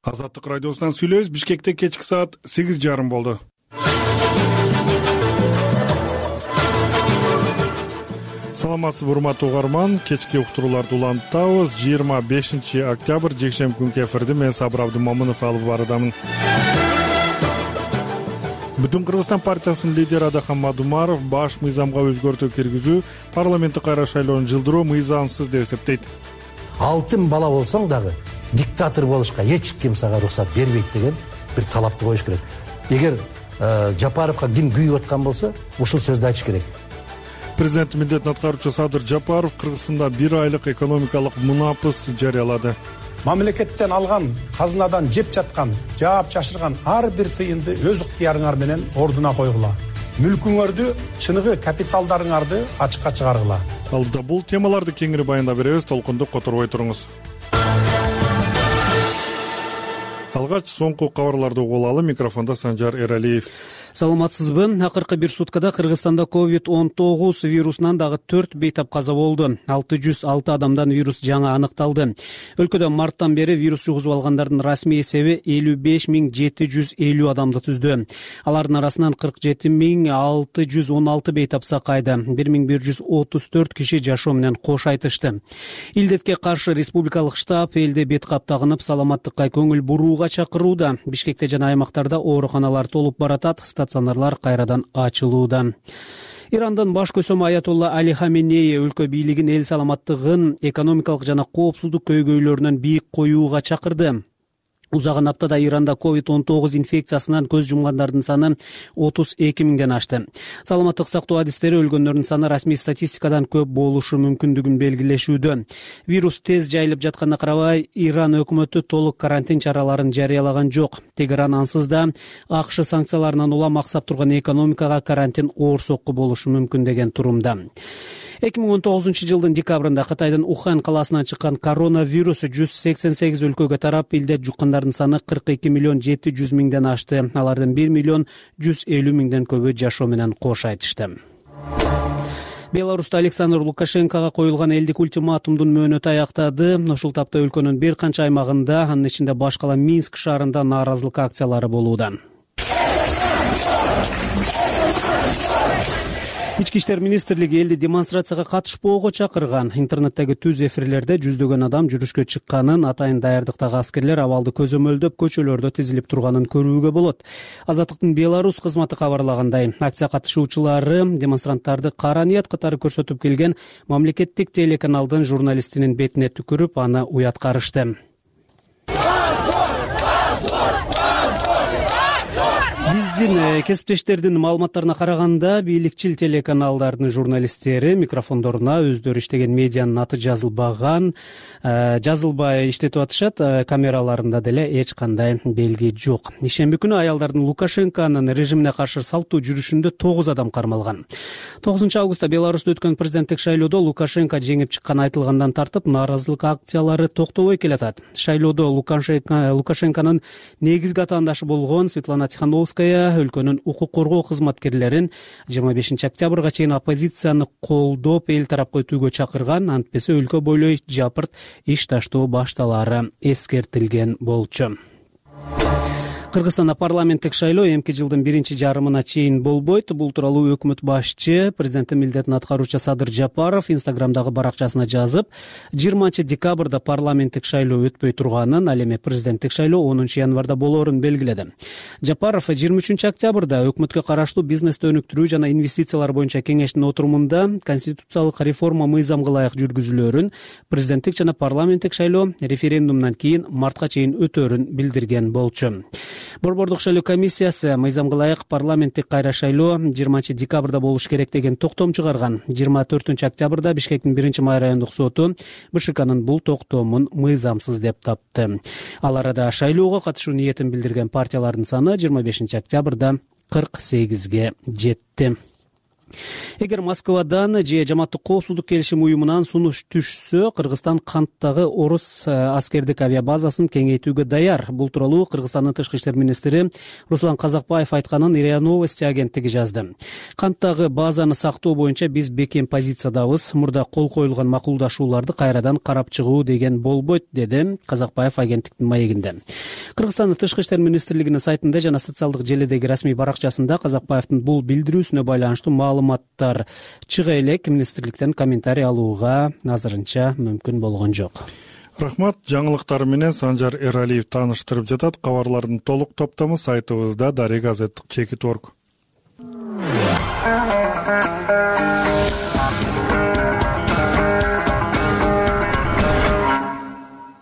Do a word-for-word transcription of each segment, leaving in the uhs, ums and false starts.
Азаттык радиосунан сүйлөйбүз. Бишкекте кечки саат сегиз жарым болду. Саламатсызбы, урматтуу угарман. Кечки уктурууларды улантабыз. жыйырма бешинчи октябрь жекшемби күнкү эфирди мен Сабыр Абдымомунов алып барадамын. Бүтүн Кыргызстан партиясынын лидери Адахан Мадумаров баш мыйзамга өзгөртүү киргизүү, парламенттик кайра шайлоону жылдыруу мыйзамсыз деп эсептейт. Алтын бала болсоң дагы диктатор болушка эч ким сага уруксат бербейт деген бир талапты коюш керек. Эгер Жапаровго ким күйүп аткан болсо, ушул сөздү айтыш керек. Президент милдетин аткаруучу Садыр Жапаров Кыргызстанда бир айлык экономикалык мунапыс жарыялады. Мамлекеттен алган, казынадан жеп жаткан, жаап чашырган ар бир тыйынды өз ыктыярыңар менен ордуна койгула. Мүлкүңөрдү, чыныгы капиталдарыңарды ачыкка чыгаргыла. Алдыда бул темаларды кеңири баяндап беребиз, толкунду которбой туруңуз. Алгач соңку кабарларды угулалы. Микрофондо Санжар Эралиев. Саламатсызбы. Акыркы бир суткада Кыргызстанда ковид он тогуз вирусунан дагы төрт бейтап каза болду. алты жүз алты адамдан вирус жаңы аныкталды. Өлкөдө марттан бери вирус жугузуп алгандардын расмий эсеби элүү беш миң жети жүз элүү адамды түздү. Алардын арасынан кырк жети миң алты жүз он алты бейтап сакайды. бир миң бир жүз отуз төрт киши жашоо менен кош айтышты. Илдетке каршы республикалык штаб элде бет каптагынып, саламаттыкка көңүл бурууга чакырууда. Бишкекте жана аймактарда ооруканалар толуп баратат. Стационарлар кайрадан ачылууда. Ирандын баш көсөмү Аятолла Али Хаменеи өлкө бийлигин эл саламаттыгын, экономикалык жана коопсуздук көйгөйлөрүнөн бийик коюуга чакырды. Узаган аптада Иранда ковид он тогуз инфекциясынан көз жумгандардын саны отуз эки миңден ашты. Саламаттык сактоо адистери өлгөндөрдүн саны расмий статистикадан көп болушу мүмкүндүгүн белгилешүүдө. Вирус тез жайылып жатканына карабай, Иран өкмөтү толук карантин чараларын жарыялаган жок. Тегеран ансыз да АКШ санкцияларынан улам аксап турган экономикага карантин оор сокку болушу мүмкүн деген турумда. эки миң он тогузунчу жылдын декабрында Кытайдын Ухан каласынан чыккан коронавирус жүз сексен сегиз өлкөгө тарап, илдет жуккандардын саны кырк эки миллион жети жүз миңден ашты. Алардын бир миллион жүз элүү миңден көбү жашоо менен кош айтышты. Беларуста Александр Лукашенкого коюлган элдик ультиматумдун мөөнөтү аяктады. Ушул тапта өлкөнүн бир канча аймагында, анын ичинде баш кала Минск шаарында нааразылык акциялары болууда. Ички иштер министрлиги элди демонстрацияга катышпоого чакырган. Интернеттеги түз эфирлерде жүздөгөн адам жүрүшкө чыкканын, атайын даярдыктагы аскерлер абалды көзөмөлдөп көчөлөрдө тизилип турганын көрүүгө болот. Азаттыктын Беларусь кызматы кабарлагандай, акция катышуучулары демонстранттарды кара ният катары көрсөтүп келген мамлекеттик телеканалдын журналистинин бетине түкүрүп, аны уяткарышты. Биздин кесиптештердин маалыматтарына караганда, бийликчил телеканалдардын журналисттери микрофондоруна өздөрү иштеген медианын аты жазылбаган, жазылбай иштетип атышат. Камераларында деле эч кандай белги жок. Ишемби күнү аялдардын Лукашенконун режимине каршы салттуу жүрүшүндө тогуз адам кармалган. тогузунчу августта Беларуста өткөн президенттик шайлоодо Лукашенко жеңип чыкканы айтылгандан тартып, нааразылык акциялары токтобой келатат. Шайлоодо Лукашенконун негизги атаандашы болгон Светлана Тихановская өлкөнүн укук коргоо кызматкерлерин жыйырма бешинчи октябрга чейин оппозицияны колдоп эл тарапка өтүүгө чакырган, антпесе өлкө бойлой жапырт иш таштоо башталары эскертилген болчу. Кыргызстанда парламенттик шайлоо эмки жылдын биринчи жарымына чейин болбойт. Бул тууралуу өкмөт башчы, президенттин милдетин аткаруучу Садыр Жапаров Инстаграмдагы баракчасына жазып, жыйырманчы декабрда парламенттик шайлоо өтпөй турганын, ал эми президенттик шайлоо онунчу январда болоорун белгиледи. Жапаров жыйырма үчүнчү октябрда өкмөткө караштуу бизнести өнүктүрүү жана инвестициялар боюнча кеңештин отурумунда конституциялык реформа мыйзамга ылайык жүргүзүлөөрүн, президенттик жана парламенттик шайлоо референдумдан кийин мартка чейин өтөөрүн билдирген болчу. Борбордук шайлоо комиссиясы мыйзамга ылайык парламенттик кайра шайлоо жыйырманчы декабрда болуш керек деген токтом чыгарган. жыйырма төртүнчү октябрда Бишкектин биринчи май райондук соту БШКнын бул токтомун мыйзамсыз деп тапты. Ал арада шайлоого катышуу ниетин билдирген партиялардын саны жыйырма бешинчи октябрда кырк сегизге жетти. Эгер Москвадан же Жамааттык коопсуздук келишим уюмунан сунуш түшсө, Кыргызстан Канттагы орус аскердик авиабазасын кеңейтүүгө даяр. Бул тууралуу Кыргызстандын тышкы иштер министри Руслан Казакбаев айтканын РИА Новости агенттиги жазды. Канттагы базаны сактоо боюнча биз бекем позициядабыз. Мурда кол коюлган макулдашууларды кайрадан карап чыгуу деген болбойт, деди Казакбаев агенттиктин маегинде. Кыргызстандын тышкы иштер министрлигинин сайтында жана социалдык желидеги расмий баракчасында Казакбаевдин бул билдирүүсүнө байланыштуу маалыматтар чыга элек. Министрликтен комментарий алууга азырынча мүмкүн болгон жок. Рахмат. Жаңылыктар менен Санжар Эралиев тааныштырып жатат. Кабарлардын толук топтому сайтыбызда Дарек Азаттык чекит орг.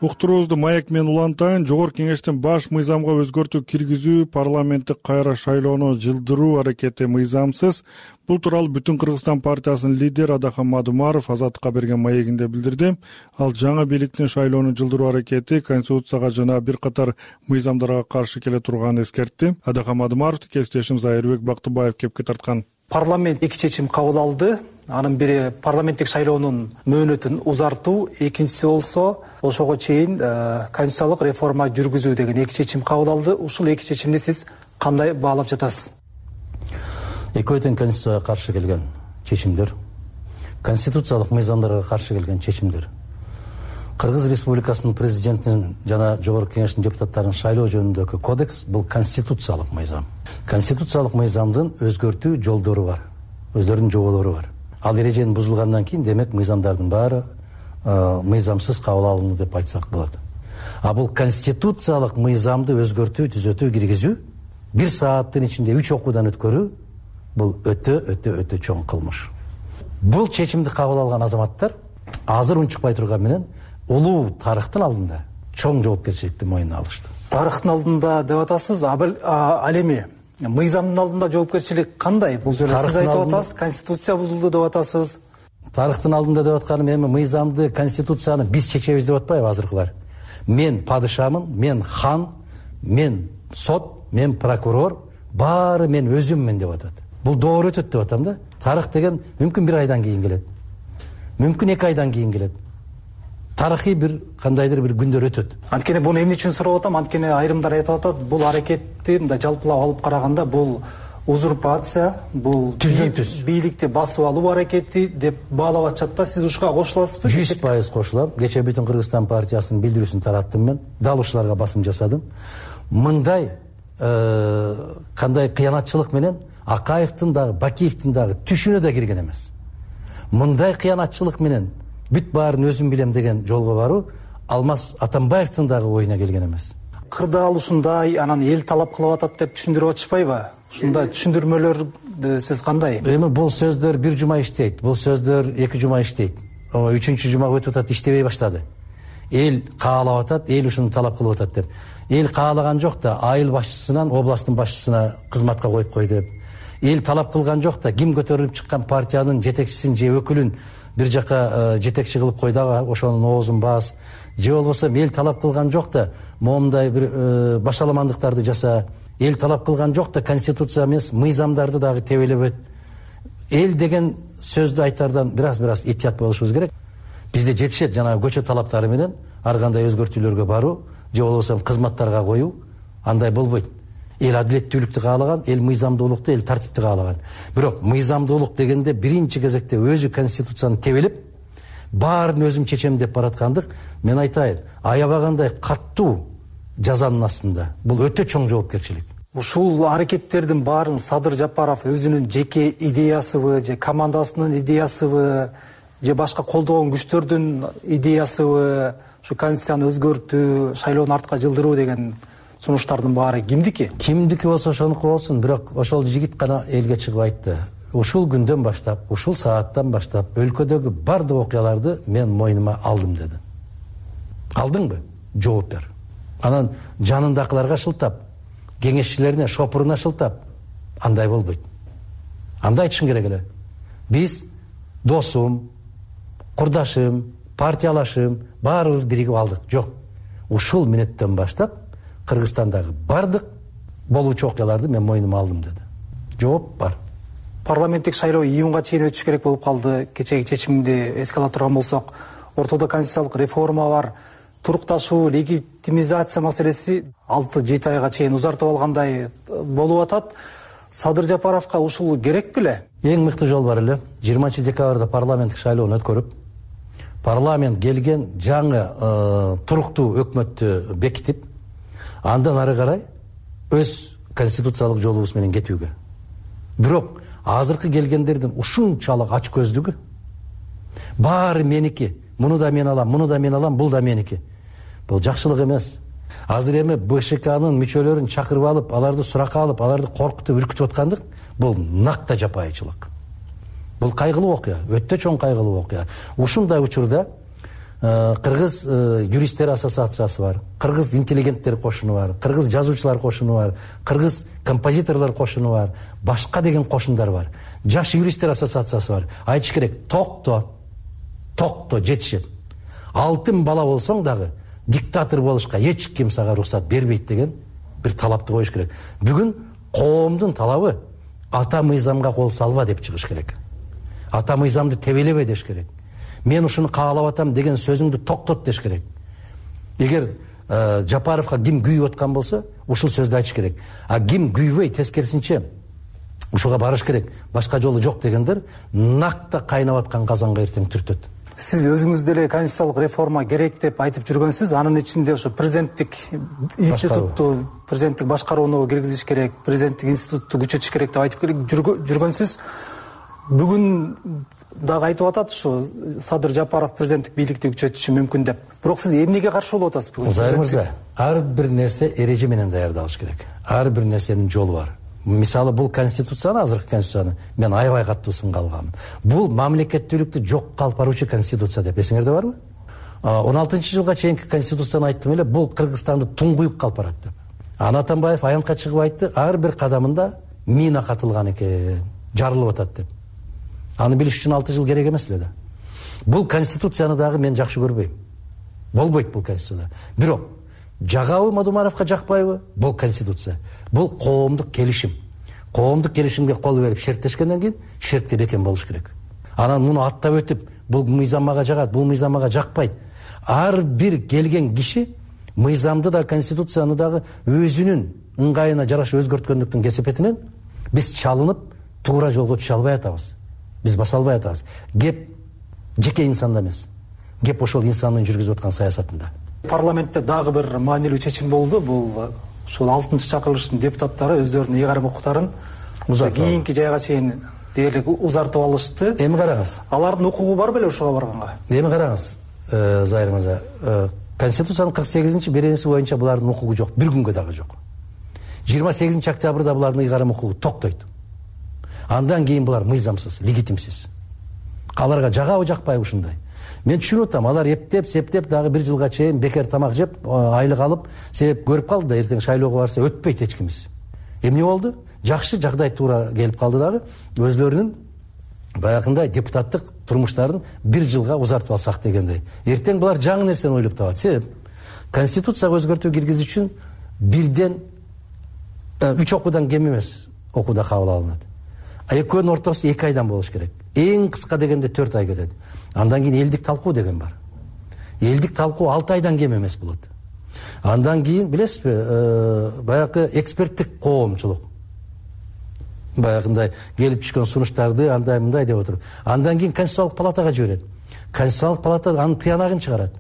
Уктуруубузду маек менен улантайын. Жогорку кеңештин баш мыйзамга өзгөртүү киргизүү, парламенттик кайра шайлоону жылдыруу аракети мыйзамсыз. Бул тууралуу Бүтүн Кыргызстан партиясынын лидери Адахан Мадумаров Азаттыкка берген маегинде билдирди. Ал жаңы бийликтин шайлоону жылдыруу аракети Конституцияга жана бир катар мыйзамдарга каршы келе турганын эскертти. Адахан Мадумаровду кесиптешим Зайырбек Бактыбаев кепке тарткан. Парламент эки чечим кабыл алды. Анын бири парламенттик шайлоонун мөөнөтүн узартуу, экинчиси болсо ошого чейин конституциялык реформа жүргүзүү деген эки чечим кабыл алды. Ушул эки чечимди сиз кандай баалап жатасыз? Экөө тең конституцияга каршы келген чечимдер, конституциялык мыйзамдарга каршы келген чечимдер. Кыргыз Республикасынын президентинин жана жогорку кеңештин депутаттарын шайлоо жөнүндөгү кодекс бул конституциялык мыйзам. Конституциялык мыйзамдын өзгөртүү жолдору бар, өздөрүнүн жоболору бар. Ал эреженин бузулгандан кийин демек мыйзамдардын баары мыйзамсыз кабыл алынды деп айтсак болот. А бул конституциялык мыйзамды өзгөртүү, түзөтүү, киргизүү бир сааттын ичинде үч окуудан өткөрүү бул өтө өтө өтө чоң кылмыш. Бул чечимди кабыл алган азаматтар азыр унчукпай турган менен улуу тарыхтын алдында чоң жоопкерчиликти мойнуна алышты. Тарыхтын алдында деп атасыз, ал эми мыйзамдын алдында жоопкерчилик кандай? Бул жерде сиз айтып атасыз, конституция бузулду деп атасыз. Тарыхтын алдында деп атканым эми мыйзамды, конституцияны биз чечебиз деп атпайбы азыркылар? Мен падышамын, мен хан, мен сот, мен прокурор, баары мен өзүммүн деп атат. Бул доор өтөт деп атам да. Тарых деген мүмкүн бир айдан кийин келет. Мүмкүн эки айдан кийин келет. Тарыхый бир кандайдыр бир күндөр өтөт. Анткени буну эмне үчүн сурап атам? Анткени айрымдар айтып атат, бул аракетти мындай жалпылап алып караганда бул узурпация, бул бийликти басып алуу аракети деп баалап атышат да. Сиз ушуга кошуласызбы? жүз пайыз кошулам. Кечээ Бүтүн Кыргызстан партиясынын билдирүүсүн тараттым мен. Дал ушуларга басым жасадым. Мындай кандай кыянатчылык менен Акаевдин дагы, Бакиевдин дагы түшүнө да кирген эмес. Мындай кыянатчылык менен бүт баарын өзүм билем деген жолго баруу Алмаз Атамбаевдин дагы оюна келген эмес. Кырдаал ушундай, анан эл талап кылып атат деп түшүндүрүп атышпайбы? Ушундай түшүндүрмөлөр сиз кандай? Эми бул сөздөр бир жума иштейт, бул сөздөр эки жума иштейт. Үчүнчү жумага өтүп атат, иштебей баштады. Эл каалап атат, эл ушуну талап кылып атат деп. Эл каалаган жок да, айыл башчысынан областтын башчысына кызматка коюп кой деп. Эл талап кылган жок да, ким көтөрүлүп чыккан партиянын жетекчисин же өкүлүн бир жака жетекчи кылып кой дагы, ошонун оозун баас. Же болбосо эл талап кылган жок да, момундай бир башаламандыктарды жаса. Эл талап кылган жок да, конституция эмес, мыйзамдарды дагы тебелеп өт. Эл деген сөздү айтардан бираз-бираз этият болушубуз керек. Бизде жетишет жана көчө талаптары менен ар кандай өзгөртүүлөргө баруу, же болбосо кызматтарга коюу, андай болбойт. Эл адилеттүүлүктү каалаган, эл мыйзамдуулукту, эл тартипти каалаган. Бирок мыйзамдуулук дегенде биринчи кезекте өзү конституцияны тебелеп, баарын өзүм чечем деп бараткандык, мен айтайын, аябагандай каттуу жазанын астында. Бул өтө чоң жоопкерчилик. Ушул аракеттердин баарын Садыр Жапаров өзүнүн жеке идеясыбы, же командасынын идеясыбы, же башка колдогон күчтөрдүн идеясыбы, ушу конституцияны өзгөртүү, шайлоону артка жылдыруу деген сунуштардын баары кимдики? Кимдики болсо ошонуку болсун, бирок ошол жигит гана элге чыгып айтты. Ушул күндөн баштап, ушул сааттан баштап өлкөдөгү бардык окуяларды мен мойнума алдым деди. Алдыңбы? Жооп бер. Анан жанындакыларга шылтап, кеңешчилерине, шопуруна шылтап, андай болбойт. Андай айтышың керек эле. Биз досум, курдашым, партиялашым баарыбыз биригип алдык. Жок. Ушул мүнөттөн баштап Кыргызстандагы бардык болуучу окуяларды мен мойнума алдым деди. Жооп бар. парламенттик шайлоо июнга чейин өтүш керек болуп калды. Кечеги чечимди эске ала турган болсок, ортодо конституциялык реформа бар, турукташуу, легитимизация маселеси алты жети айга чейин узартып алгандай болуп атат. Садыр Жапаровго ушул керек беле? Эң мыкты жол бар эле. жыйырманчы декабрда парламенттик шайлоону өткөрүп, парламент келген жаңы туруктуу өкмөттү бекитип, андан ары карай өз конституциялык жолубуз менен кетүүгө. Бирок азыркы келгендердин ушунчалык ач көздүгү, баары меники, муну да мен алам, муну да мен алам, бул да меники. Бул жакшылык эмес. Азыр эми БШКнын мүчөлөрүн чакырып алып, аларды суракка алып, аларды коркутуп, үркүтүп аткандык бул накта жапайычылык. Бул кайгылуу окуя, өтө чоң кайгылуу окуя. Ушундай учурда Кыргыз юристтер ассоциациясы бар, Кыргыз интеллигенттер кошуну бар, Кыргыз жазуучулар кошуну бар, Кыргыз композиторлор кошуну бар, башка деген кошундар бар. Жаш юристтер ассоциациясы бар. Айтыш керек, токто, токто жетишет. Алтын бала болсоң дагы диктатор болушка эч ким сага уруксат бербейт деген бир талапты коюш керек. Бүгүн коомдун талабы ата мыйзамга кол салба деп чыгыш керек. Ата мыйзамды тебелебе деш керек. Мен ушуну каалап атам деген сөзүңдү токтот деш керек. Эгер Жапаровго ким күйүп аткан болсо, ушул сөздү айтыш керек. А ким күйбөй, тескерисинче ушуга барыш керек, башка жолу жок дегендер накта кайнап аткан казанга эртең түртөт. Сиз өзүңүз деле конституциялык реформа керек деп айтып жүргөнсүз. Анын ичинде ошо президенттик институтту, президенттик башкарууну киргизиш керек, президенттик институтту күчөтүш керек деп айтып жүргөнсүз. Бүгүн дагы айтып атат, ушу Садыр Жапаров президенттик бийликти күчөтүшү мүмкүн деп. Бирок сиз эмнеге каршы болуп атасыз бүгүн? Зайыр мырза, ар бир нерсе эреже менен даярдалыш керек. Ар бир нерсенин жолу бар. Мисалы, бул конституцияны, азыркы конституцияны мен аябай катуу сынга алгам. Бул мамлекеттүүлүктү жокко алып баруучу конституция деп эсиңерде барбы? он алтынчы жылга чейинки конституцияны айттым эле, бул Кыргызстанды туңгуюп калып барат деп. Ана Атамбаев аянтка чыгып айтты, ар бир кадамында мина катылган экен, жарылып атат деп. Аны билиш үчүн алты жыл керек эмес эле да. Бул конституцияны дагы мен жакшы көрбөйм. Болбойт бул конституция. Бирок жагабы Мадумаровго жакпайбы? Бул конституция. Бул коомдук келишим. Коомдук келишимге кол берип шерттешкенден кийин шертке бекем болуш керек. Анан муну аттап өтүп, бул мыйзам мага жагат, бул мыйзам мага жакпайт. Ар бир келген киши мыйзамды да, конституцияны дагы өзүнүн ыңгайына жараша өзгөрткөндүктүн кесепетинен биз чалынып, туура жолго түшө албай атабыз. Биз баса албай атабыз. Кеп жеке инсанда эмес. Кеп ошол инсандын жүргүзүп аткан саясатында. Парламентте дагы бир маанилүү чечим болду. Бул ушул алтынчы чакырылыштын депутаттары өздөрүнүн ыйгарым укуктарын кийинки жайга чейин дээрлик узартып алышты. Эми караңыз. Алардын укугу бар беле ушуга барганга? Эми караңыз, Зайыр мырза, Конституциянын кырк сегизинчи беренеси боюнча булардын укугу жок, бир күнгө дагы жок. жыйырма сегизинчи октябрда булардын ыйгарым укугу токтойт. Андан кийин булар мыйзамсыз, легитимсиз. Аларга жагабы жакпайбы ушундай? Мен түшүнүп атам, алар эптеп, септеп дагы бир жылга чейин бекер тамак жеп, айлык алып, себеп көрүп калды да, эртең шайлоого барса өтпөйт эч кимиз. Эмне болду? Жакшы жагдай туура келип калды дагы, өзлөрүнүн баягындай депутаттык турмуштарын бир жылга узартып алсак дегендей. Эртең булар жаңы нерсени ойлоп табат. Себеп конституцияга өзгөртүү киргизиш үчүн бирден үч окуудан кем эмес окууда кабыл алынат. Экөөнүн ортосу эки айдан болуш керек. Эң кыска дегенде төрт ай кетет. Андан кийин элдик талкуу деген бар. Элдик талкуу алты айдан кем эмес болот. Андан кийин билесизби, баягы эксперттик коомчулук. Баягындай келип түшкөн сунуштарды андай мындай деп отуруп. Андан кийин Конституциялык палатага жиберет. Конституциялык палата анын тыянагын чыгарат.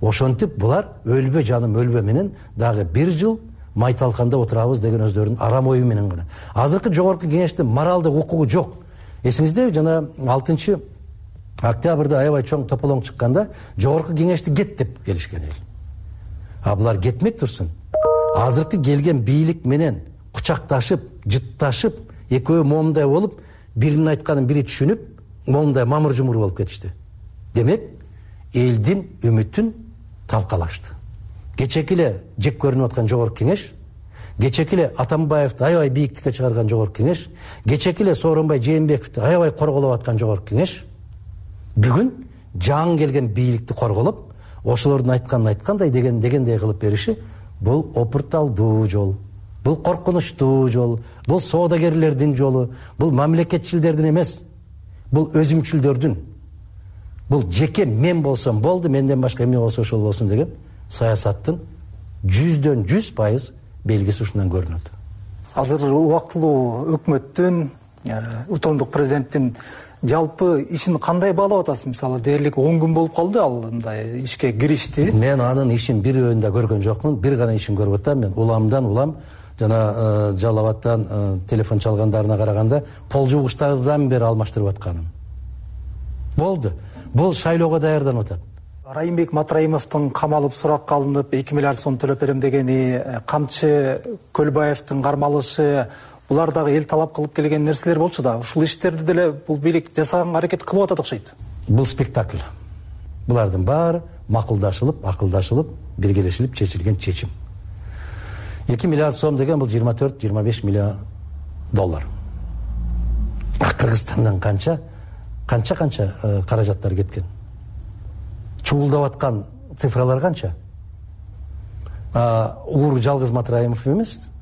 Ошентип булар өлбө жаным өлбө менен дагы бир жыл майталканда отурабыз деген өздөрүнүн арам ою менен гана. Азыркы жогорку кеңештин моралдык укугу жок. Эсиңиздеби, жана алтынчы октябрда аябай чоң тополоң чыкканда жогорку кеңешти кет деп келишкен эл. А булар кетмек турсун. Азыркы келген бийлик менен кучакташып, жытташып, экөө момундай болуп, биринин айтканын бири түшүнүп, момундай мамыр-жумур болуп кетишти. Демек, элдин үмүтүн талкалашты. Кечеки эле жек көрүнүп аткан жогорку кеңеш, кечеки эле Атамбаевди аябай бийиктикке чыгарган жогорку кеңеш, кечеки эле Сооронбай Жээнбековди аябай корголоп аткан жогорку кеңеш бүгүн жаңы келген бийликти корголоп, ошолордун айтканын айткандай деген дегендей кылып бериши бул опурталдуу жол. бул коркунучтуу жол, бул соодагерлердин жолу, бул мамлекетчилдердин эмес, бул өзүмчүлдөрдүн. Бул жеке мен болсом болду, менден башка эмне болсо ошол болсун деген саясаттын жүздөн жүз пайыз белгиси ушундан көрүнөт. Азыр убактылуу өкмөттүн, утомдук президенттин жалпы ишин кандай баалап атасыз? Мисалы, дээрлик он күн болуп калды ал мындай ишке киришти. Мен анын ишин бирөөнү да көргөн жокмун. Бир гана ишин көрүп атам. Мен уламдан улам жана Жалал абадтан телефон чалгандарына караганда пол жуугучтардан бери алмаштырып атканын. Болду. Бул шайлоого даярданып атат. Райымбек Матраимовдун камалып суракка алынып эки миллиард сом төлөп берем дегени, Камчы Көлбаевдин кармалышы, булар дагы эл талап кылып келген нерселер болчу да. Ушул иштерди деле бул бийлик жасаганга аракет кылып атат окшойт. Бул спектакль. Булардын баары макулдашылып, акылдашылып, биргелешилип чечилген чечим. эки миллиард сом деген бул жыйырма төрт жыйырма беш миллион доллар. Кыргызстандан канча канча-канча каражаттар кеткен. Чуулдап аткан цифралар канча? Ур жалгыз Матраимов эмес.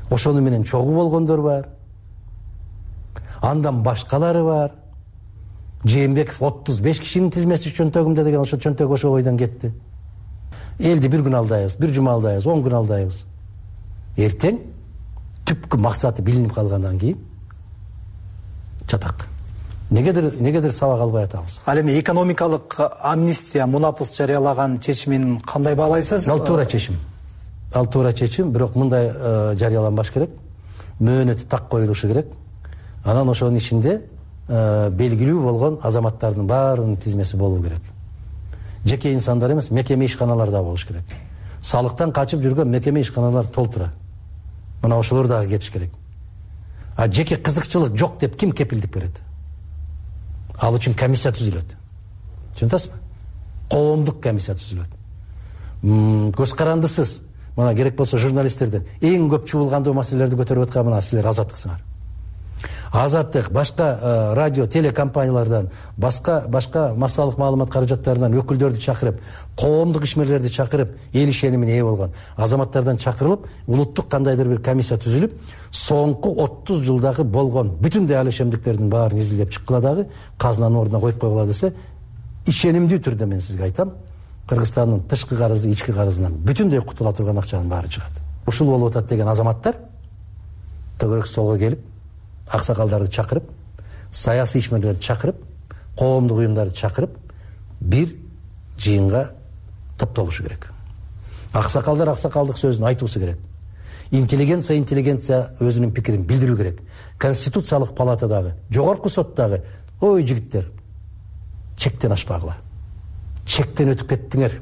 Ошону менен чогуу болгондор бар. Андан башкалары бар. Жээнбеков отуз беш кишинин тизмеси чөнтөгүмдө деген ошо чөнтөк ошо бойдон кетти. Элди бир күн алдайбыз, бир жума алдайбыз, он күн алдайбыз. Эртең түпкү максаты билинип калгандан кийин чатак. Негедир негедир сабак албай атабыз. Ал эми экономикалык амнистия мунапыс жарыялаган чечимин кандай баалайсыз? Ал туура чечим. Ал туура чечим, бирок мындай жарыяланбаш керек. Мөөнөтү так коюлушу керек. Анан ошонун ичинде белгилүү болгон азаматтардын баарынын тизмеси болуу керек. Жеке инсандар эмес, мекеме ишканалар да болуш керек. Салыктан качып жүргөн мекеме ишканалар толтура. Мына ошолор дагы кетиш керек. А жеке кызыкчылык жок деп ким кепилдик берет? Ал үчүн комиссия түзүлөт. Түшүнөсүзбү? Коомдук комиссия түзүлөт. Көз карандысыз. Мына керек болсо журналисттерден эң көп чуулгандуу маселелерди көтөрүп аткан мына силер Азаттыксыңар. Азаттык башка радио, телекомпаниялардан, башка башка массалык маалымат каражаттарынан өкүлдөрдү чакырып, коомдук ишмерлерди чакырып, эл ишенимине ээ болгон азаматтардан чакырылып, улуттук кандайдыр бир комиссия түзүлүп, соңку отуз жылдагы болгон бүтүндөй ал ишемдиктердин баарын изилдеп чыккыла дагы казынанын ордуна коюп койгула десе, ишенимдүү түрдө мен сизге айтам, Кыргызстандын тышкы карызы, ички карызынан бүтүндөй кутула турган акчанын баары чыгат. Ушул болуп атат деген азаматтар төгөрөк столго келип, аксакалдарды чакырып, саясий ишмерлерди чакырып, коомдук уюмдарды чакырып, бир жыйынга топтолушу керек. Аксакалдар аксакалдык сөзүн айтуусу керек. Интеллигенция интеллигенция өзүнүн пикирин билдирүү керек. Конституциялык палатадагы, жогорку соттогу, ой жигиттер, чектен ашпагыла. Чектен өтүп кеттиңер.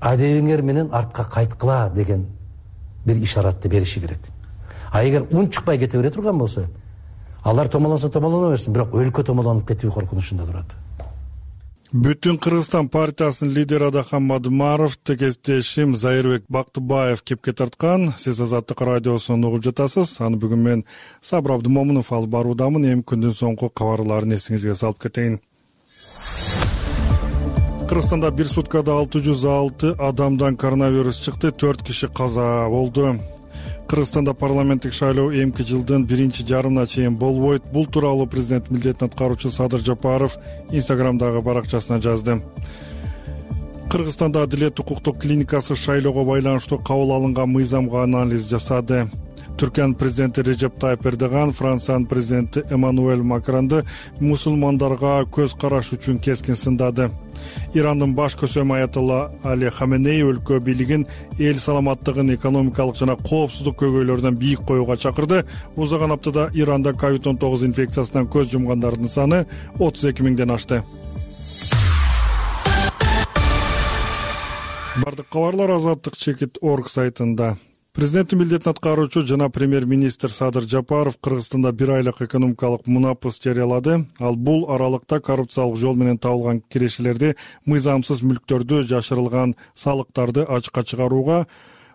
Адегиңер менен артка кайткыла деген бир ишаратты бериши керек. А эгер унчукпай кете бере турган болсо, алар томолонсо томолоно берсин, бирок өлкө томолонуп кетүү коркунучунда турат. Бүтүн Кыргызстан партиясынын лидери Адахан Мадымаров текестешим Зайырбек Бактыбаев кепке тарткан. Сиз Азаттык радиосун угуп жатасыз. Аны бүгүн мен Сабыр Абдымомунов алып баруудамын. Эми күндүн соңку кабарларын эсиңизге салып кетейин. Кыргызстанда бир суткада алты жүз алты адамдан коронавирус чыкты, төрт киши каза болду. Кыргызстанда парламенттик шайлоо эмки жылдын биринчи жарымына чейин болбойт. Бул тууралуу президент милдетин аткаруучу Садыр Жапаров Инстаграмдагы баракчасына жазды. Кыргызстанда Адилет укуктук клиникасы шайлоого байланыштуу кабыл алынган мыйзамга анализ жасады. Түркиянын президенти Режеп Тайып Эрдоган Франциянын президенти Эммануэль Макронду мусулмандарга көз караш үчүн кескин сындады. Ирандын баш көсөмү Аятолла Али Хаменей өлкө бийлигин эл саламаттыгын экономикалык жана коопсуздук көйгөйлөрүнөн бийик коюуга чакырды. Узган аптада Иранда ковид он тогуз инфекциясынан көз жумгандардын саны отуз эки миңден ашты. Бардык кабарлар Азаттык чекит точка орг сайтында. Президенттин милдетин аткаруучу жана премьер-министр Садыр Жапаров Кыргызстанда бир айлык экономикалык мунапыс жарыялады. Ал бул аралыкта коррупциялык жол менен табылган кирешелерди, мыйзамсыз мүлктөрдү, жашырылган салыктарды ачыкка чыгарууга,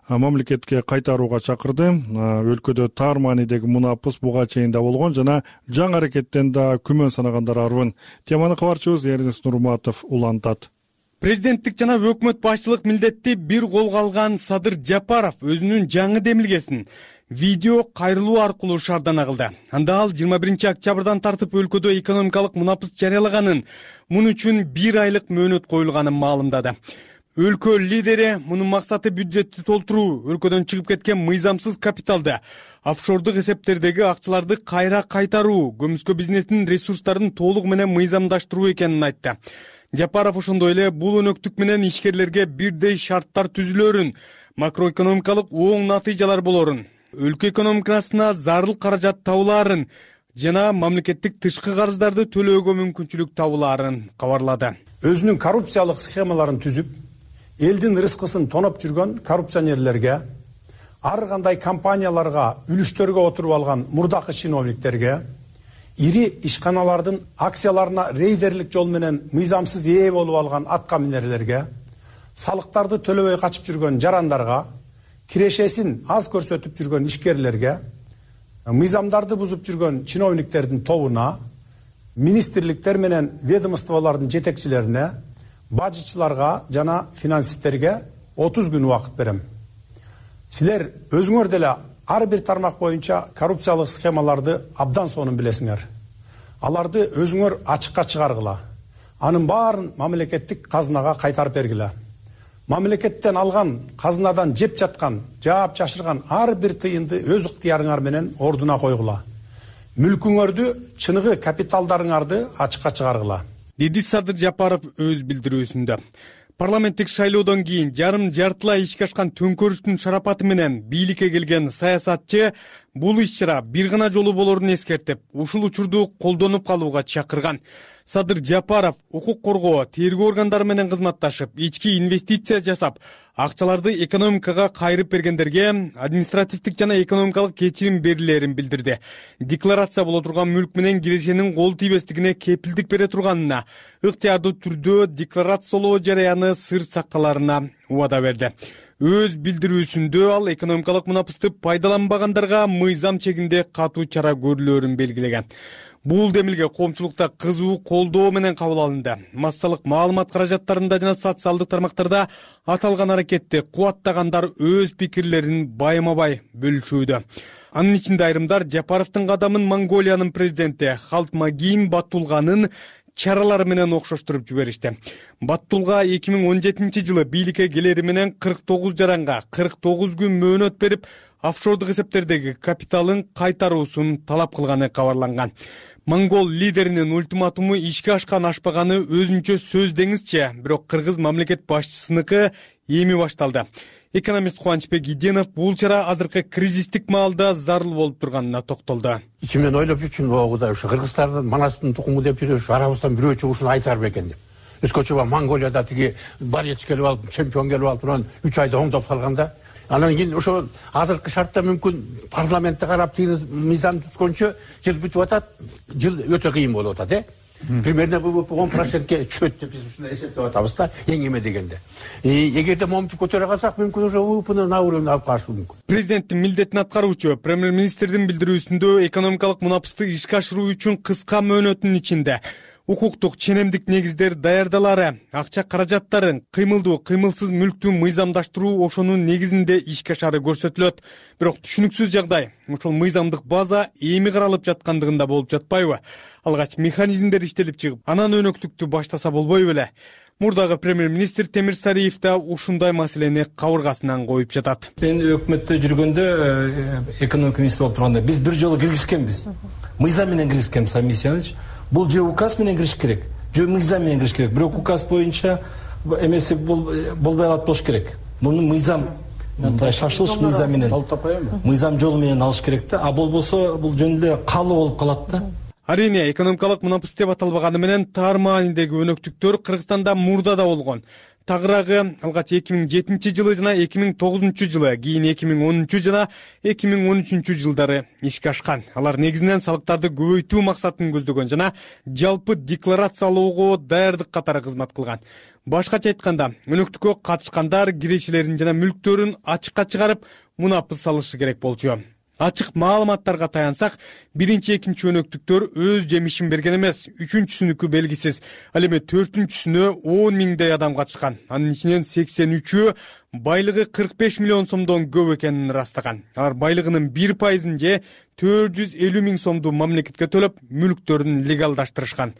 мамлекетке кайтарууга чакырды. Өлкөдө тар маанидеги мунапыс буга чейин да болгон жана жаңы аракеттен да күмөн санагандар арбын. Теманы кабарчыбыз Эрнест Нурматов улантат. Президенттик жана өкмөт башчылык милдетти бир колго алган Садыр Жапаров өзүнүн жаңы демилгесин видео кайрылуу аркылуу шаардана кылды. Анда ал жыйырма биринчи октябрдан тартып өлкөдө экономикалык мунапыс жарыялаганын, муну үчүн бир айлык мөөнөт коюлганын маалымдады. Өлкө лидери мунун максаты бюджетти толтуруу, өлкөдөн чыгып кеткен мыйзамсыз капиталды, офшордук эсептердеги акчаларды кайра кайтаруу, көмүскө бизнестин ресурстарын толук менен мыйзамдаштыруу экенин айтты. Жапаров ошондой эле бул өнөктүк менен ишкерлерге бирдей шарттар түзүлөрүн, макроэкономикалык оң натыйжалар болорун, өлкө экономикасына зарыл каражат табылаарын жана мамлекеттик тышкы карыздарды төлөөгө мүмкүнчүлүк табылаарын кабарлады. Өзүнүн коррупциялык схемаларын түзүп, элдин рызкысын тоноп жүргөн коррупционерлерге, ар кандай компанияларга, үлүштөргө отуруп алган мурдакы чиновниктерге, ири ишканалардын акцияларына рейдерлик жол менен мыйзамсыз ээ болуп алган атка минерлерге, салыктарды төлөбөй качып жүргөн жарандарга, кирешесин аз көрсөтүп жүргөн ишкерлерге, мыйзамдарды бузуп жүргөн чиновниктердин тобуна, министрликтер менен ведомстволордун жетекчилерине, бажычыларга жана финансисттерге отуз күн убакыт берем. Силер өзүңөр деле ар бир тармак боюнча коррупциялык схемаларды абдан сонун билесиңер. Аларды өзүңөр ачыкка чыгаргыла. Анын баарын мамлекеттик казынага кайтарып бергиле. Мамлекеттен алган, казынадан жеп жаткан, жаап чашырган ар бир тыйынды өз ыктыярыңар менен ордуна койгула. Мүлкүңөрдү, чыныгы капиталдарыңарды ачыкка чыгаргыла. Деди Садыр Жапаров өз билдирүүсүндө. Парламенттик шайлоодон кийин жарым жартылай ишке ашкан төңкөрүштүн шарапаты менен бийликке келген саясатчы бул иш-чара бир гана жолу болорун эскертип, ушул учурду колдонуп калууга чакырган. Садыр Жапаров укук коргоо, тергөө органдары менен кызматташып, ички инвестиция жасап, акчаларды экономикага кайрып бергендерге административдик жана экономикалык кечирим берилерин билдирди. Декларация боло турган мүлк менен кирешенин кол тийбестигине кепилдик бере турганына, ыктыярдуу түрдө декларациялоо жараяны сыр сакталарына убада берди. Өз билдирүүсүндө ал экономикалык мунапысты пайдаланбагандарга мыйзам чегинде катуу чара көрүлөрүн белгилеген. Бул демилге коомчулукта кызуу колдоо менен кабыл алынды. Массалык маалымат каражаттарында жана социалдык тармактарда аталган аракетти кубаттагандар өз пикирлерин байма-бай бөлүшүүдө. Анын ичинде айрымдар Жапаровдун кадамын Монголиянын президенти Халтмагин Баттулганын чаралары менен окшоштуруп жиберишти. Баттулга эки миң он жетинчи жылы бийликке келери менен кырк тогуз жаранга кырк тогуз күн мөөнөт берип, офшордук эсептердеги капиталын кайтаруусун талап кылганы кабарланган. Монгол лидеринин ультиматуму ишке ашкан ашпаганы өзүнчө сөз деңизчи, бирок кыргыз мамлекет башчысыныкы эми башталды. Экономист Кубанычбек Иденов бул чара азыркы кризистик маалда зарыл болуп турганына токтолду. Ичимден ойлоп жүрчүмүн, ого ушу кыргыздардын манастын тукуму деп жүрөбүз, арабыздан бирөө чыгып ушуну айтар бекен деп. Өзгөчө Монголияда тиги борец келип алып, чемпион келип алып, анан үч айда оңдоп салганда, анан кийин ошо азыркы шартта мүмкүн парламентте карап тиги мыйзам түзгөнчө жыл бүтүп атат, жыл өтө кыйын болуп атат, э? Примерно он процентке түшөт деп биз ушуну эсептеп атабыз да, эң эме дегенде. Эгерде моментип көтөрө калсак, мүмкүн ошо УПны на уровень алып калышы мүмкүн. Президенттин милдетин аткаруучу премьер-министрдин билдирүүсүндө экономикалык мунапысты ишке ашыруу үчүн кыска мөөнөттүн ичинде укуктук ченемдик негиздер даярдалары, акча каражаттарын, кыймылдуу, кыймылсыз мүлктү мыйзамдаштыруу ошонун негизинде ишке ашары көрсөтүлөт. Бирок түшүнүксүз жагдай, ошол мыйзамдык база эми каралып жаткандыгында болуп жатпайбы? Алгач механизмдер иштелип чыгып, анан өнөктүктү баштаса болбойбу беле? Мурдагы премьер-министр Темир Сариев да ушундай маселени кабыргасынан коюп жатат. Мен өкмөттө жүргөндө, экономика министри болуп турганда биз бир жолу киргизкенбиз. Мыйзам менен киргизкенбиз, Амисияныч. Бул же указ менен кириш керек, же мыйзам менен кириш керек. Бирок указ боюнча эмеси болбой калат болуш керек. Муну мыйзам, мындай шашылыш мыйзам менен, мыйзам жолу менен алыш керек да. А болбосо бул жөн эле калуу болуп калат да. Арине, экономикалык мунапыс деп аталбаганы менен таар маанидеги өнөктүктөр Кыргызстанда мурда да болгон. Тагыраагы алгач эки миң жетинчи жылы жана эки миң тогузунчу жылы, кийин эки миң онунчу жана эки миң он үчүнчү жылдары ишке ашкан. Алар негизинен салыктарды көбөйтүү максатын көздөгөн жана жалпы декларациялоого даярдык катары кызмат кылган. Башкача айтканда, өнөктүккө катышкандар кирешелерин жана мүлктөрүн ачыкка чыгарып, мунапыс салышы керек болчу. Ачык маалыматтарга таянсак, биринчи экинчи өнөктүктөр өз жемишин берген эмес, үчүнчүсүнүкү белгисиз. Ал эми төртүнчүсүнө он миңдей адам катышкан. Анын ичинен сексен үчөө байлыгы кырк беш миллион сомдон көп экенин ырастаган. Алар байлыгынын бир пайызын же төрт жүз элүү миң сомду мамлекетке төлөп, мүлктөрүн легалдаштырышкан.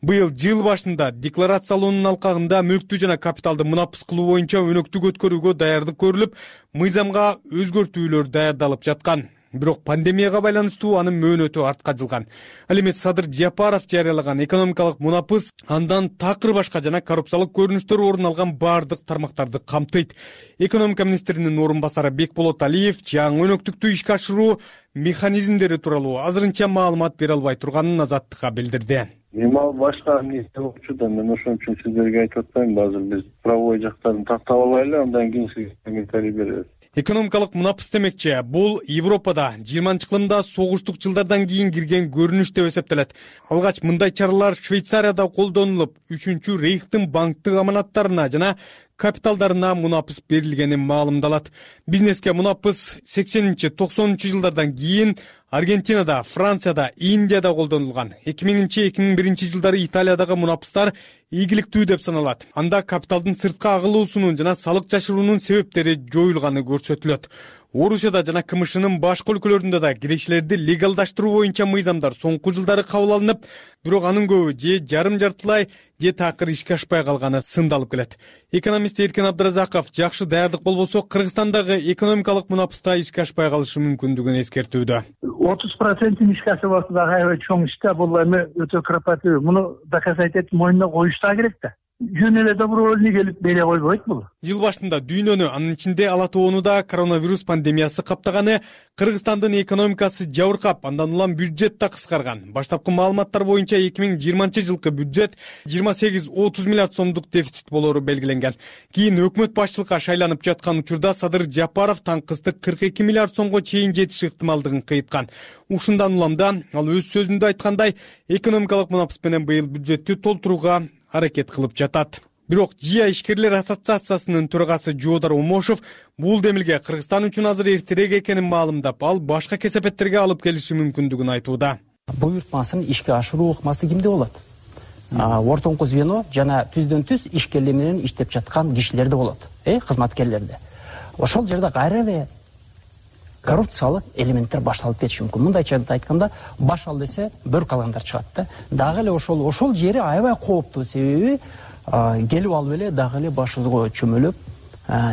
Быйыл жыл башында декларациялоонун алкагында мүлктү жана капиталды мунапыс кылуу боюнча өнөктүк өткөрүүгө даярдык көрүлүп, мыйзамга өзгөртүүлөр даярдалып жаткан. Бирок пандемияга байланыштуу анын мөөнөтү артка жылган. Ал эми Садыр Жапаров жарыялаган экономикалык мунапыс андан такыр башка жана коррупциялык көрүнүштөр орун алган баардык тармактарды камтыйт. Экономика министринин орун басары Бекболот Алиев жаңы өнөктүктү ишке ашыруу механизмдери тууралуу азырынча маалымат бере албай турганын Азаттыкка билдирди. Эми ал башка эмнеси болчу да, мен ошон үчүн сиздерге айтып атпайм. Азыр биз правовой жактарын тактап алайлы, андан кийин сизге комментарий беребиз. Экономикалык мунапыс демекчи, бул Европада жыйырманчы кылымда согуштук жылдардан кийин кирген көрүнүш деп эсептелет. Алгач мындай чаралар Швейцарияда колдонулуп, үчүнчү рейхтин банктык аманаттарына жана капиталдарына мунапыс берилгени маалымдалат. Бизнеске мунапыс сексенинчи токсонунчу жылдардан кийин Аргентинада, Францияда, Индияда колдонулган. эки миңинчи эки миң биринчи жылдары Италиядагы мунапыстар ийгиликтүү деп саналат. Анда капиталдын сыртка агылуусунун жана салык жашыруунун себептери жоюлганы көрсөтүлөт. Орусияда жана КМШнын башка өлкөлөрүндө да кирешилерди легалдаштыруу боюнча мыйзамдар соңку жылдары кабыл алынып, бирок анын көбү же жарым жартылай, же такыр ишке ашпай калганы сындалып келет. Экономист Эркин Абдыразаков жакшы даярдык болбосо Кыргызстандагы экономикалык мунапыста ишке ашпай калышы мүмкүндүгүн эскертүүдө. отуз процентин ишке ашып атса дагы аябай чоң иш да, бул эми өтө кропотливый. Муну доказать этип мойнуна коюш да керек да. Жөн эле добровольный келип бере койбойт бул. Жыл башында дүйнөнү, анын ичинде Ала Тоону да коронавирус пандемиясы каптаганы, Кыргызстандын экономикасы жабыркап, андан улам бюджет да кыскарган. Баштапкы маалыматтар боюнча эки миң жыйырманчы жылкы бюджет жыйырма сегиз отуз миллиард сомдук дефицит болору белгиленген. Кийин өкмөт башчылыкка шайланып жаткан учурда Садыр Жапаров таңкысты кырк эки миллиард сомго чейин жетиш ыктымалдыгын кыйткан. Ушундан уламда ал өз сөзүндө айткандай, экономикалык мунапыс менен быйыл бюджетти толтурууга аракет кылып жатат. Бирок ЖИА ишкерлер ассоциациясынын төрагасы Жоодар Омошов бул демилге Кыргызстан үчүн азыр эртерээк экенин маалымдап, ал башка кесепеттерге алып келиши мүмкүндүгүн айтууда. Буйртмасын ишке ашыруу ыкмасы кимде болот? Ортоңку звено жана түздөн түз ишкерлер менен иштеп жаткан кишилерде болот, э, кызматкерлерде. Ошол жерде кайра эле коррупциялык элементтер башталып кетиши мүмкүн. Мындайча айтканда, баш ал десе бөрк алгандар чыгат да. Дагы эле ошол ошол жери аябай кооптуу, себеби келип алып эле дагы эле башыбызга чөмөлөп,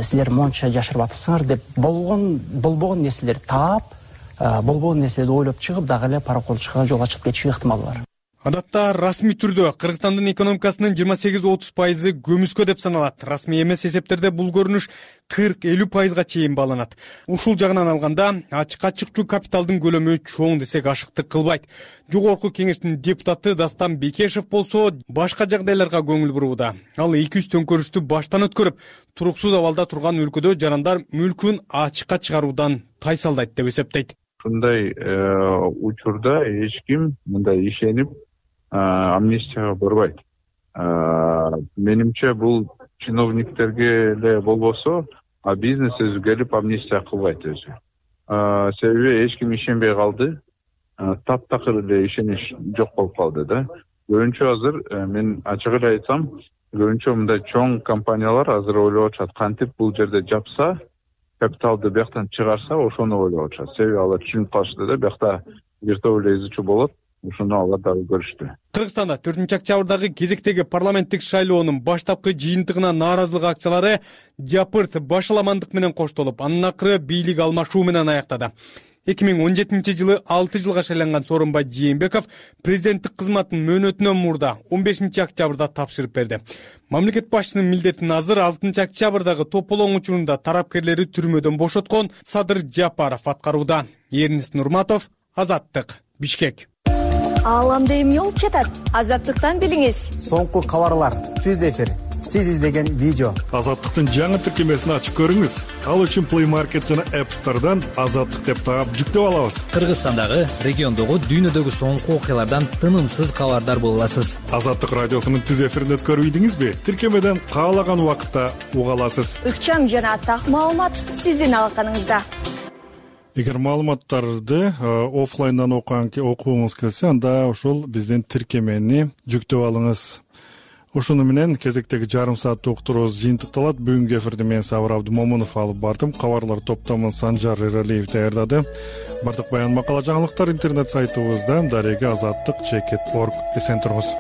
силер монча жашырып атыпсыңар деп болгон болбогон нерселерди таап, болбогон нерселерди ойлоп чыгып, дагы эле параколчуга жол ачып кетиши ыктымалы бар. Адатта расмий түрдө Кыргызстандын экономикасынын жыйырма сегиз отуз пайызы көмүскө деп саналат. Расмий эмес эсептерде бул көрүнүш кырк элүү пайызга чейин бааланат. Ушул жагынан алганда, ачыкка чыкчу капиталдын көлөмү чоң десек ашыктык кылбайт. Жогорку кеңештин депутаты Дастан Бекешев болсо башка жагдайларга көңүл бурууда. Ал эки жүз төңкөрүштү баштан өткөрүп, туруксуз абалда турган өлкөдө жарандар мүлкүн ачыкка чыгаруудан тайсалдайт деп эсептейт. Ушундай учурда эч ким мындай ишенип амнистияга барбайт. Менимче бул чиновниктерге эле болбосо, а бизнес өзү келип амнистия кылбайт өзү. Себеби эч ким ишенбей калды. Таптакыр эле ишенич жок болуп калды да. Көбүнчө азыр мен ачык эле айтсам, көбүнчө мындай чоң компаниялар азыр ойлоп атышат, кантип бул жерде жапса, капиталды бияктан чыгарса, ошону ойлоп атышат. Себеби алар түшүнүп калышты да, биякта виртуалдуу изучу болот. Ушуну алар дагы көрүштү. Кыргызстанда төртүнчү октябрдагы кезектеги парламенттик шайлоонун баштапкы жыйынтыгына нааразылык акциялары жапырт башаламандык менен коштолуп, анын акыры бийлик алмашуу менен аяктады. эки миң он жетинчи жылы алты жылга шайланган Сооронбай Жээнбеков президенттик кызматын мөөнөтүнөн мурда он бешинчи октябрда тапшырып берди. Мамлекет башчынын милдетин азыр алтынчы октябрдагы тополоң учурунда тарапкерлери түрмөдөн бошоткон Садыр Жапаров аткарууда. Эрнис Нурматов, Азаттык, Бишкек. Ааламда эмне болуп жатат? Азаттыктан билиңиз. Соңку кабарлар, түз эфир, сиз издеген видео. Азаттыктын жаңы тиркемесин ачып көрүңүз. Ал үчүн Play Market жана App Store'дан Азаттык деп таап жүктөп алабыз. Кыргызстандагы, региондогу, дүйнөдөгү соңку окуялардан тынымсыз кабардар боло аласыз. Азаттык радиосунун түз эфирин өткөрүп ийдиңизби? Тиркемеден каалаган убакытта уга аласыз. Ыкчам жана так маалымат сиздин алаканыңызда. Эгер маалыматтарды оффлайндан окугуңуз келсе, анда ошол биздин тиркемени жүктөп алыңыз. Ошону менен кезектеги жарым сааттык уктуруубуз жыйынтыкталат. Бүгүнкү эфирди мен Сабыр Абдымомунов алып бардым. Кабарлар топтомун Санжар Эралиев даярдады. Бардык баян макала жаңылыктар интернет сайтыбызда, дареги азаттык чекит точка орг. Эсен туруңуз.